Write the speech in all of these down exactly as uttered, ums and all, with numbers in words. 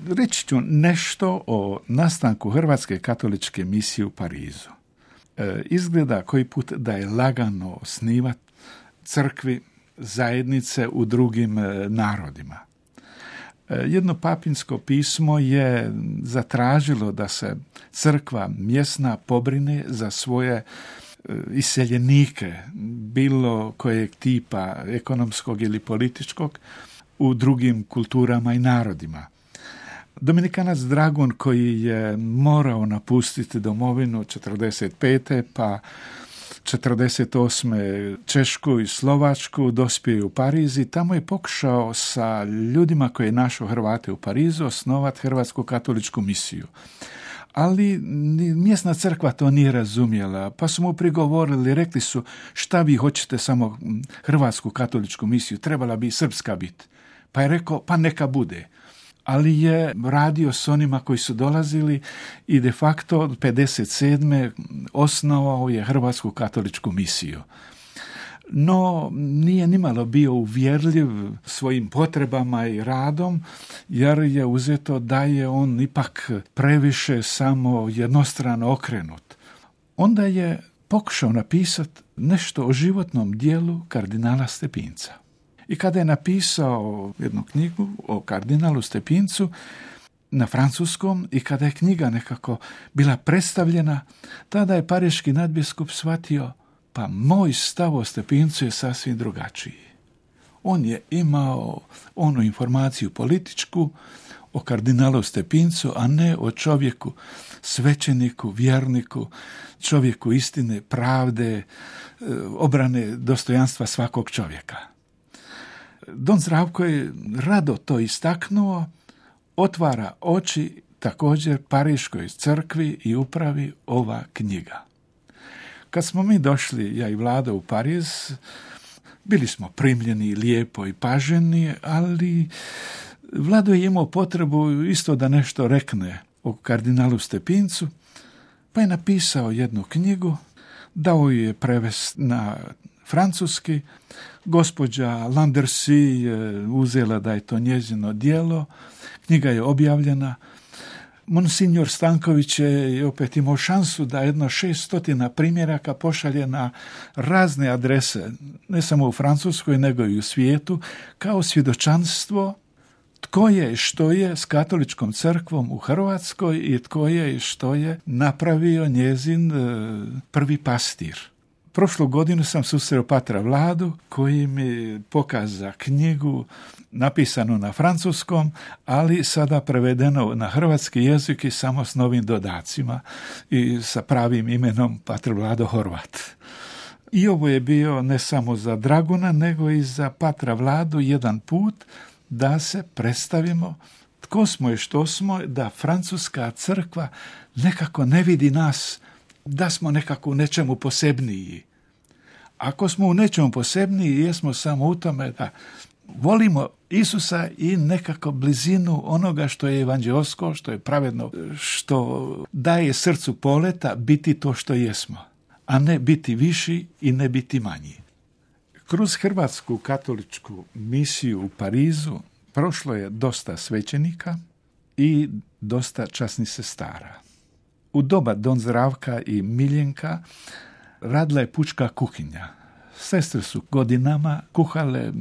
Reći ću nešto o nastanku Hrvatske katoličke misije u Parizu. E, izgleda koji put da je lagano osnivati crkvi, zajednice u drugim e, narodima. E, jedno papinsko pismo je zatražilo da se crkva mjesna pobrine za svoje iseljenike, bilo kojeg tipa ekonomskog ili političkog, u drugim kulturama i narodima. Dominikanac Dragun, koji je morao napustiti domovinu četrdeset pete pa četrdeset osme Češku i Slovačku, dospio je u Pariz i tamo je pokušao sa ljudima koji je našao Hrvate u Parizu osnovati Hrvatsku katoličku misiju. Ali mjesna crkva to nije razumjela, pa su mu prigovorili, rekli su šta vi hoćete samo Hrvatsku katoličku misiju, trebala bi i srpska biti. Pa je rekao, pa neka bude. Ali je radio s onima koji su dolazili i de facto od pedeset sedme osnovao je Hrvatsku katoličku misiju. No, nije nimalo bio uvjerljiv svojim potrebama i radom, jer je uzeto da je on ipak previše samo jednostrano okrenut. Onda je pokušao napisati nešto o životnom dijelu kardinala Stepinca. I kada je napisao jednu knjigu o kardinalu Stepincu na francuskom i kada je knjiga nekako bila predstavljena, tada je pariški nadbiskup shvatio, pa moj stav o Stepincu je sasvim drugačiji. On je imao onu informaciju političku o kardinalu Stepincu, a ne o čovjeku, svećeniku, vjerniku, čovjeku istine, pravde, obrane dostojanstva svakog čovjeka. Don Zdravko je rado to istaknuo, otvara oči također Pariškoj crkvi i upravi ova knjiga. Kad smo mi došli, ja i Vlado, u Pariz, bili smo primljeni lijepo i paženi, ali Vlado je imao potrebu isto da nešto rekne o kardinalu Stepincu, pa je napisao jednu knjigu, dao ju je prevest na francuski, gospođa Landersi je uzela da je to njezino djelo, knjiga je objavljena. Monsignor Stanković je opet imao šansu da jedno šeststotina primjeraka pošalje na razne adrese, ne samo u Francuskoj, nego i u svijetu, kao svjedočanstvo tko je i što je s katoličkom crkvom u Hrvatskoj i tko je i što je napravio njezin prvi pastir. Prošlu godinu sam susreo patra Vladu koji mi pokaza knjigu napisanu na francuskom, ali sada prevedeno na hrvatski jezik i samo s novim dodacima i sa pravim imenom patr Vlado Horvat. I ovo je bio ne samo za Draguna, nego i za patra Vladu jedan put da se predstavimo tko smo i što smo, da francuska crkva nekako ne vidi nas, da smo nekako u nečemu posebniji. Ako smo u nečemu posebniji, jesmo samo u tome da volimo Isusa i nekako blizinu onoga što je evanđeosko, što je pravedno, što daje srcu poleta biti to što jesmo, a ne biti viši i ne biti manji. Kroz Hrvatsku katoličku misiju u Parizu prošlo je dosta svećenika i dosta časnih sestara. U doba Don Zdravka i Miljenka radila je pučka kuhinja. Sestre su godinama kuhale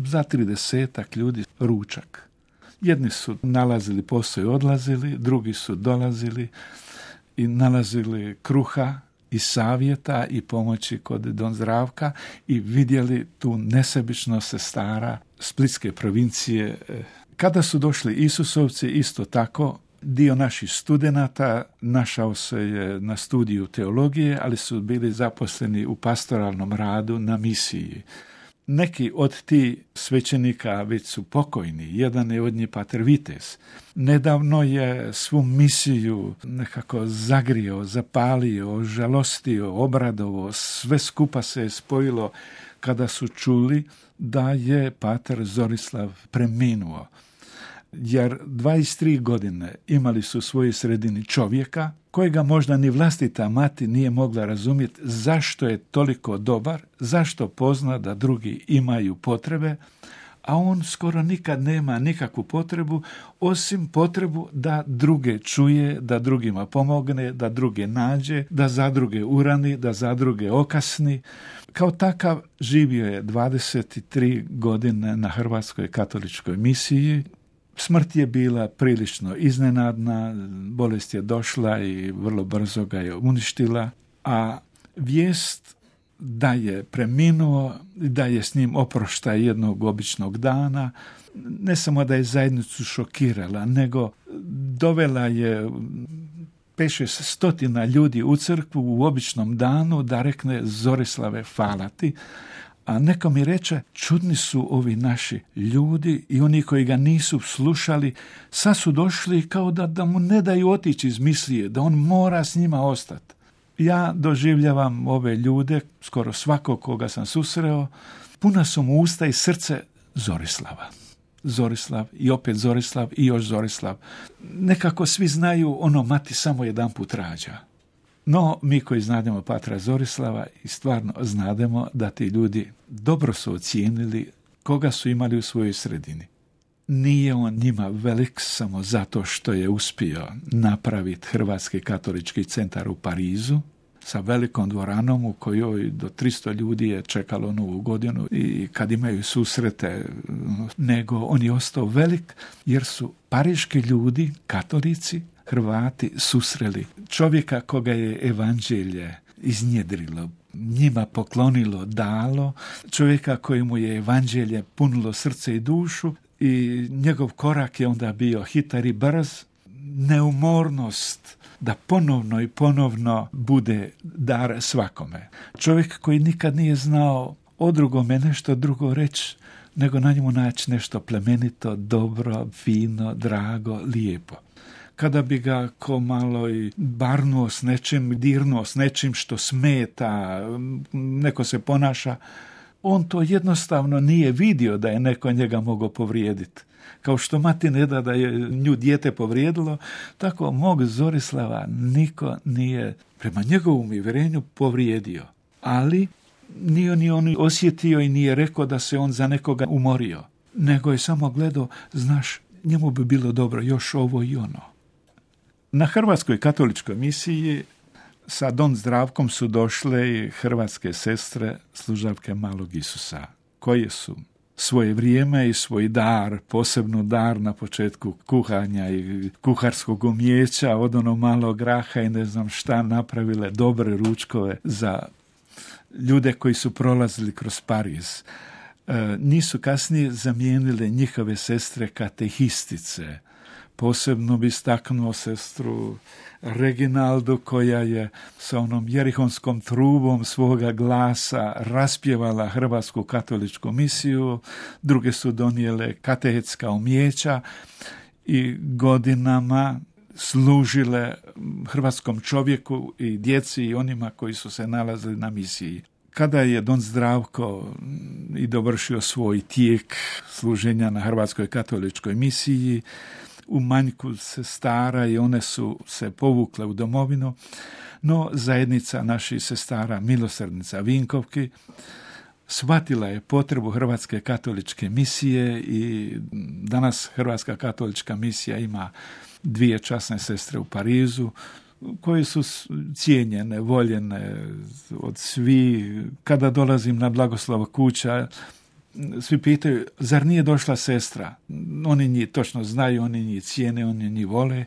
za tridesetak ljudi ručak. Jedni su nalazili posao i odlazili, drugi su dolazili i nalazili kruha i savjeta i pomoći kod Don Zdravka i vidjeli tu nesebičnost sestara Splitske provincije. Kada su došli Isusovci, isto tako, dio naših studenata našao se je na studiju teologije, ali su bili zaposleni u pastoralnom radu na misiji. Neki od tih svećenika već su pokojni, jedan je od njih pater Vites. Nedavno je svu misiju nekako zagrio, zapalio, žalostio, obradovo, sve skupa se je spojilo kada su čuli da je pater Zorislav preminuo. Jer dvadeset tri godine imali su u svojoj sredini čovjeka kojega možda ni vlastita mati nije mogla razumjeti zašto je toliko dobar, zašto pozna da drugi imaju potrebe, a on skoro nikad nema nikakvu potrebu, osim potrebu da druge čuje, da drugima pomogne, da druge nađe, da za druge urani, da za druge okasni. Kao takav živio je dvadeset tri godine na Hrvatskoj katoličkoj misiji. Smrt je bila prilično iznenadna, bolest je došla i vrlo brzo ga je uništila, a vijest da je preminuo, da je s njim oproštaj jednog običnog dana, ne samo da je zajednicu šokirala, nego dovela je pet šest stotina ljudi u crkvu u običnom danu da rekne Zorislave hvala ti. A neko mi reče, čudni su ovi naši ljudi i oni koji ga nisu slušali, sad su došli kao da, da mu ne daju otići iz mislije, da on mora s njima ostati. Ja doživljavam ove ljude, skoro svakog koga sam susreo, puna su mu usta i srce Zorislava. Zorislav i opet Zorislav i još Zorislav. Nekako svi znaju ono mati samo jedan put rađa. No, mi koji znademo patra Zorislava i stvarno znademo da ti ljudi dobro su ocijenili koga su imali u svojoj sredini. Nije on njima velik samo zato što je uspio napraviti Hrvatski katolički centar u Parizu sa velikom dvoranom u kojoj do tristo ljudi je čekalo Novu godinu i kad imaju susrete, nego on je ostao velik jer su pariški ljudi, katolici, Hrvati susreli čovjeka koga je evanđelje iznjedrilo, njima poklonilo, dalo, čovjeka kojemu je evanđelje punilo srce i dušu i njegov korak je onda bio hitar i brz, neumornost da ponovno i ponovno bude dar svakome. Čovjek koji nikad nije znao o drugome nešto drugo reći, nego na njemu naći nešto plemenito, dobro, fino, drago, lijepo. Kada bi ga ko malo i barnuo s nečim, dirnuo s nečim što smeta, neko se ponaša, on to jednostavno nije vidio da je neko njega mogao povrijediti. Kao što mati ne da da je nju dijete povrijedilo, tako mog Zorislava niko nije prema njegovom uvjerenju povrijedio. Ali nije ni on osjetio i nije rekao da se on za nekoga umorio, nego je samo gledao, znaš, njemu bi bilo dobro još ovo i ono. Na Hrvatskoj katoličkoj misiji sa Don Zdravkom su došle i hrvatske sestre služavke Malog Isusa, koje su svoje vrijeme i svoj dar, posebno dar na početku kuhanja i kuharskog umijeća, od ono malo graha i ne znam šta, napravile dobre ručkove za ljude koji su prolazili kroz Pariz. E, nisu kasnije zamijenile njihove sestre katehistice. Posebno bi istaknuo sestru Reginaldu koja je sa onom jerihonskom trubom svoga glasa raspjevala Hrvatsku katoličku misiju, druge su donijele katehetska umijeća i godinama služile hrvatskom čovjeku i djeci i onima koji su se nalazili na misiji. Kada je Don Zdravko i dovršio svoj tijek služenja na Hrvatskoj katoličkoj misiji, u manjku sestara i one su se povukle u domovinu, no zajednica naših sestara Milosrdnica Vinkovki shvatila je potrebu Hrvatske katoličke misije i danas Hrvatska katolička misija ima dvije časne sestre u Parizu, koje su cijenjene, voljene od svi. Kada dolazim na Blagoslova kuća, svi pitaju, zar nije došla sestra? Oni njih točno znaju, oni njih cijene, oni njih vole,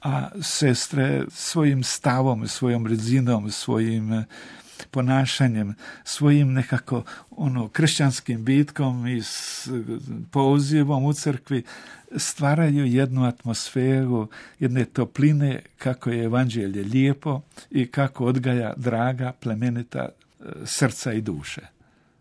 a sestre svojim stavom, svojom rezinom, svojim ponašanjem, svojim nekako ono kršćanskim bitkom i s pozivom u crkvi stvaraju jednu atmosferu, jedne topline kako je evanđelje lijepo i kako odgaja draga, plemenita srca i duše.